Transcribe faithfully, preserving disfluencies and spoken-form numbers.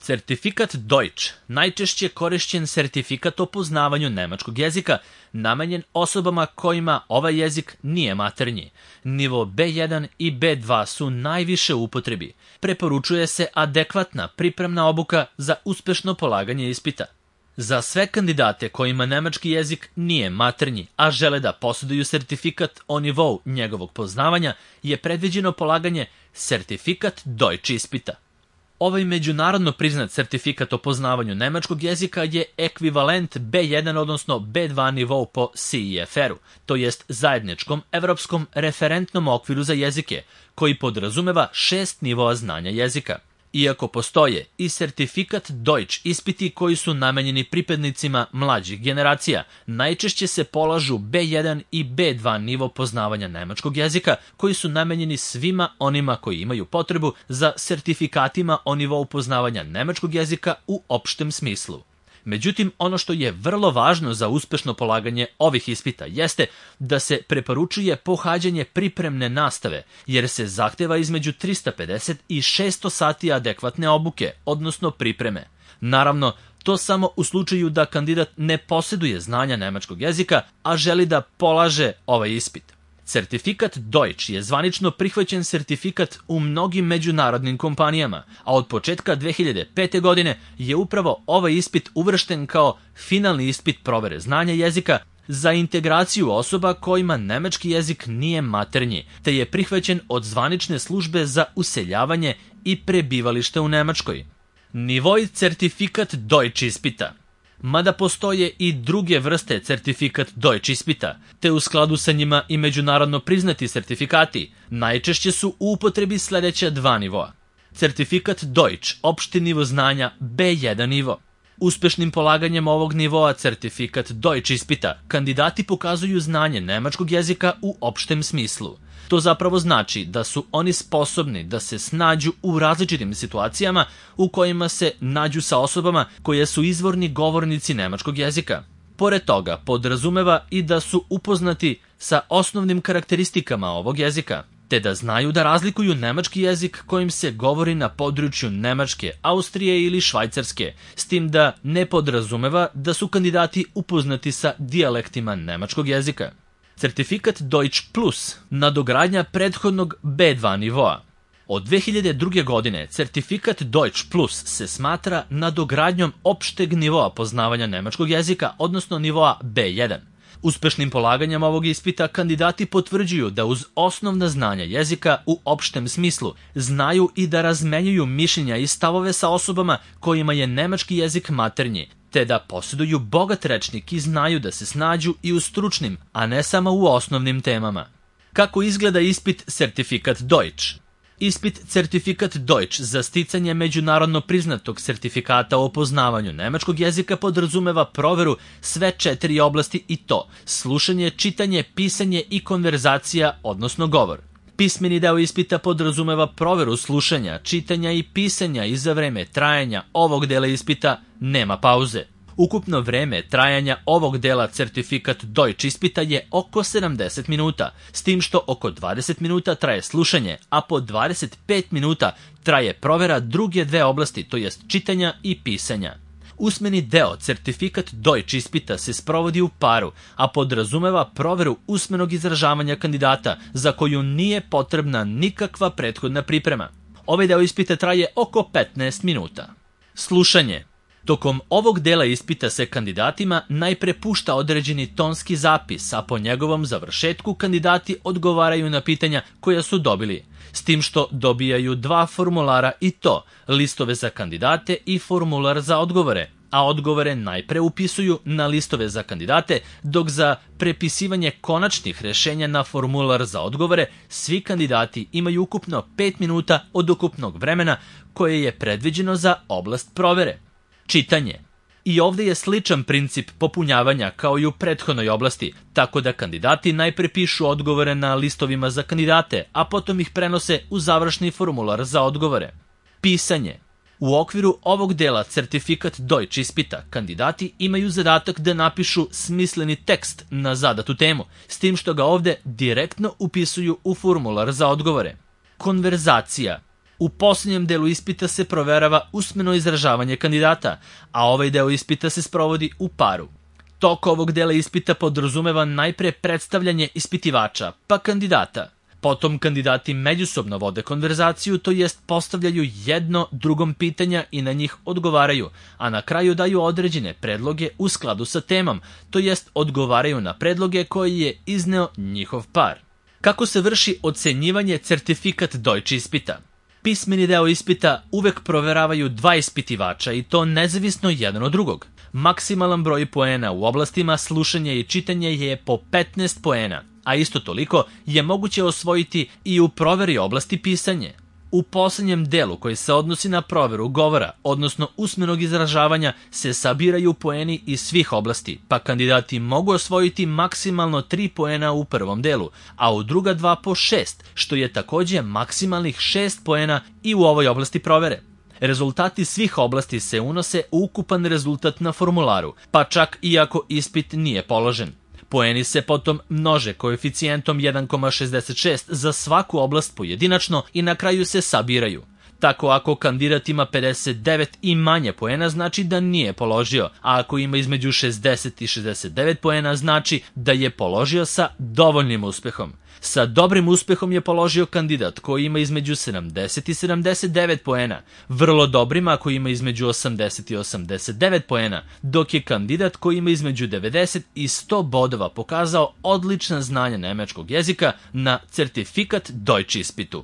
Certifikat Deutsch, najčešće korišćen sertifikat o poznavanju nemačkog jezika, namenjen osobama kojima ovaj jezik nije maternji. Nivo be jedan i be dva su najviše u upotrebi. Preporučuje se adekvatna pripremna obuka za uspešno polaganje ispita. Za sve kandidate kojima nemački jezik nije maternji, a žele da posjeduju sertifikat o nivou njegovog poznavanja, je predviđeno polaganje sertifikat Deutsch ispita. Ovaj međunarodno priznat sertifikat o poznavanju nemačkog jezika je ekvivalent be jedan odnosno be dva nivou po C E F R-u, to jest zajedničkom evropskom referentnom okviru za jezike, koji podrazumeva šest nivoa znanja jezika. Iako postoje i sertifikat Deutsch ispiti koji su namenjeni pripadnicima mlađih generacija, najčešće se polažu be jedan i be dva nivo poznavanja nemačkog jezika koji su namenjeni svima onima koji imaju potrebu za sertifikatima o nivou poznavanja nemačkog jezika u opštem smislu. Međutim, ono što je vrlo važno za uspešno polaganje ovih ispita jeste da se preporučuje pohađanje pripremne nastave, jer se zahteva između trista pedeset i šesto sati adekvatne obuke, odnosno pripreme. Naravno, to samo u slučaju da kandidat ne posjeduje znanja nemačkog jezika, a želi da polaže ovaj ispit. Certifikat Deutsch je zvanično prihvaćen sertifikat u mnogim međunarodnim kompanijama, a od početka dve hiljade pete. godine je upravo ovaj ispit uvršten kao finalni ispit provere znanja jezika za integraciju osoba kojima nemački jezik nije maternji, te je prihvaćen od zvanične službe za useljavanje i prebivalište u Nemačkoj. Nivoj certifikat Deutsch ispita. Mada postoje i druge vrste certifikat Deutsch ispita, te u skladu sa njima i međunarodno priznati sertifikati, najčešće su u upotrebi sledeća dva nivoa. Certifikat Deutsch, opšti nivo znanja be jedan nivo. Uspešnim polaganjem ovog nivoa certifikat Deutsch ispita, kandidati pokazuju znanje nemačkog jezika u opštem smislu. To zapravo znači da su oni sposobni da se snađu u različitim situacijama u kojima se nađu sa osobama koje su izvorni govornici nemačkog jezika. Pored toga, podrazumeva i da su upoznati sa osnovnim karakteristikama ovog jezika, te da znaju da razlikuju nemački jezik kojim se govori na području Nemačke, Austrije ili Švajcarske, s tim da ne podrazumeva da su kandidati upoznati sa dijalektima nemačkog jezika. Certifikat Deutsch Plus, nadogradnja prethodnog be dva nivoa. Od dve hiljade druge. godine certifikat Deutsch Plus se smatra nadogradnjom opšteg nivoa poznavanja nemačkog jezika, odnosno nivoa be jedan. Uspešnim polaganjem ovog ispita kandidati potvrđuju da uz osnovna znanja jezika u opštem smislu znaju i da razmenjuju mišljenja i stavove sa osobama kojima je nemački jezik maternji, te da posjeduju bogat rečnik i znaju da se snađu i u stručnim, a ne samo u osnovnim temama. Kako izgleda ispit certifikat Deutsch? Ispit certifikat Deutsch za sticanje međunarodno priznatog sertifikata o poznavanju nemačkog jezika podrazumeva proveru sve četiri oblasti i to slušanje, čitanje, pisanje i konverzacija, odnosno govor. Pismeni deo ispita podrazumeva proveru slušanja, čitanja i pisanja i za vreme trajanja ovog dela ispita nema pauze. Ukupno vreme trajanja ovog dela certifikat Deutsch ispita je oko sedamdeset minuta, s tim što oko dvadeset minuta traje slušanje, a po dvadeset pet minuta traje provera druge dve oblasti, to jest čitanja i pisanja. Usmeni deo certifikat Deutsch ispita se sprovodi u paru, a podrazumeva proveru usmenog izražavanja kandidata za koju nije potrebna nikakva prethodna priprema. Ovaj deo ispita traje oko petnaest minuta. Slušanje. Tokom ovog dela ispita se kandidatima najpre pušta određeni tonski zapis, a po njegovom završetku kandidati odgovaraju na pitanja koja su dobili, s tim što dobijaju dva formulara i to, listove za kandidate i formular za odgovore, a odgovore najpre upisuju na listove za kandidate, dok za prepisivanje konačnih rešenja na formular za odgovore svi kandidati imaju ukupno pet minuta od ukupnog vremena koje je predviđeno za oblast provere. Čitanje. I ovdje je sličan princip popunjavanja kao i u prethodnoj oblasti, tako da kandidati najpre pišu odgovore na listovima za kandidate, a potom ih prenose u završni formular za odgovore. Pisanje. U okviru ovog dela certifikat Deutsch ispita kandidati imaju zadatak da napišu smisleni tekst na zadatu temu, s tim što ga ovdje direktno upisuju u formular za odgovore. Konverzacija. U posljednjem delu ispita se proverava usmeno izražavanje kandidata, a ovaj deo ispita se sprovodi u paru. Tok ovog dela ispita podrazumeva najpre predstavljanje ispitivača, pa kandidata. Potom kandidati međusobno vode konverzaciju, to jest postavljaju jedno drugom pitanja i na njih odgovaraju, a na kraju daju određene predloge u skladu sa temom, to jest odgovaraju na predloge koje je izneo njihov par. Kako se vrši ocenjivanje certifikat Deutsche ispita? Pismeni deo ispita uvek proveravaju dva ispitivača i to nezavisno jedan od drugog. Maksimalan broj poena u oblastima slušanja i čitanja je po petnaest poena, a isto toliko je moguće osvojiti i u proveri oblasti pisanje. U poslednjem delu koji se odnosi na proveru govora, odnosno usmenog izražavanja, se sabiraju poeni iz svih oblasti, pa kandidati mogu osvojiti maksimalno tri poena u prvom delu, a u druga dva po šest, što je takođe maksimalnih šest poena i u ovoj oblasti provere. Rezultati svih oblasti se unose u ukupan rezultat na formularu, pa čak i ako ispit nije položen. Poeni se potom množe koeficijentom jedan zarez šezdeset šest za svaku oblast pojedinačno i na kraju se sabiraju. Tako ako kandidat ima pedeset devet i manje poena znači da nije položio, a ako ima između šezdeset i šezdeset devet poena znači da je položio sa dovoljnim uspehom. Sa dobrim uspehom je položio kandidat koji ima između sedamdeset i sedamdeset devet poena, vrlo dobrim ako ima između osamdeset i osamdeset devet poena, dok je kandidat koji ima između devedeset i sto bodova pokazao odlična znanja nemačkog jezika na certifikat Deutsche ispitu.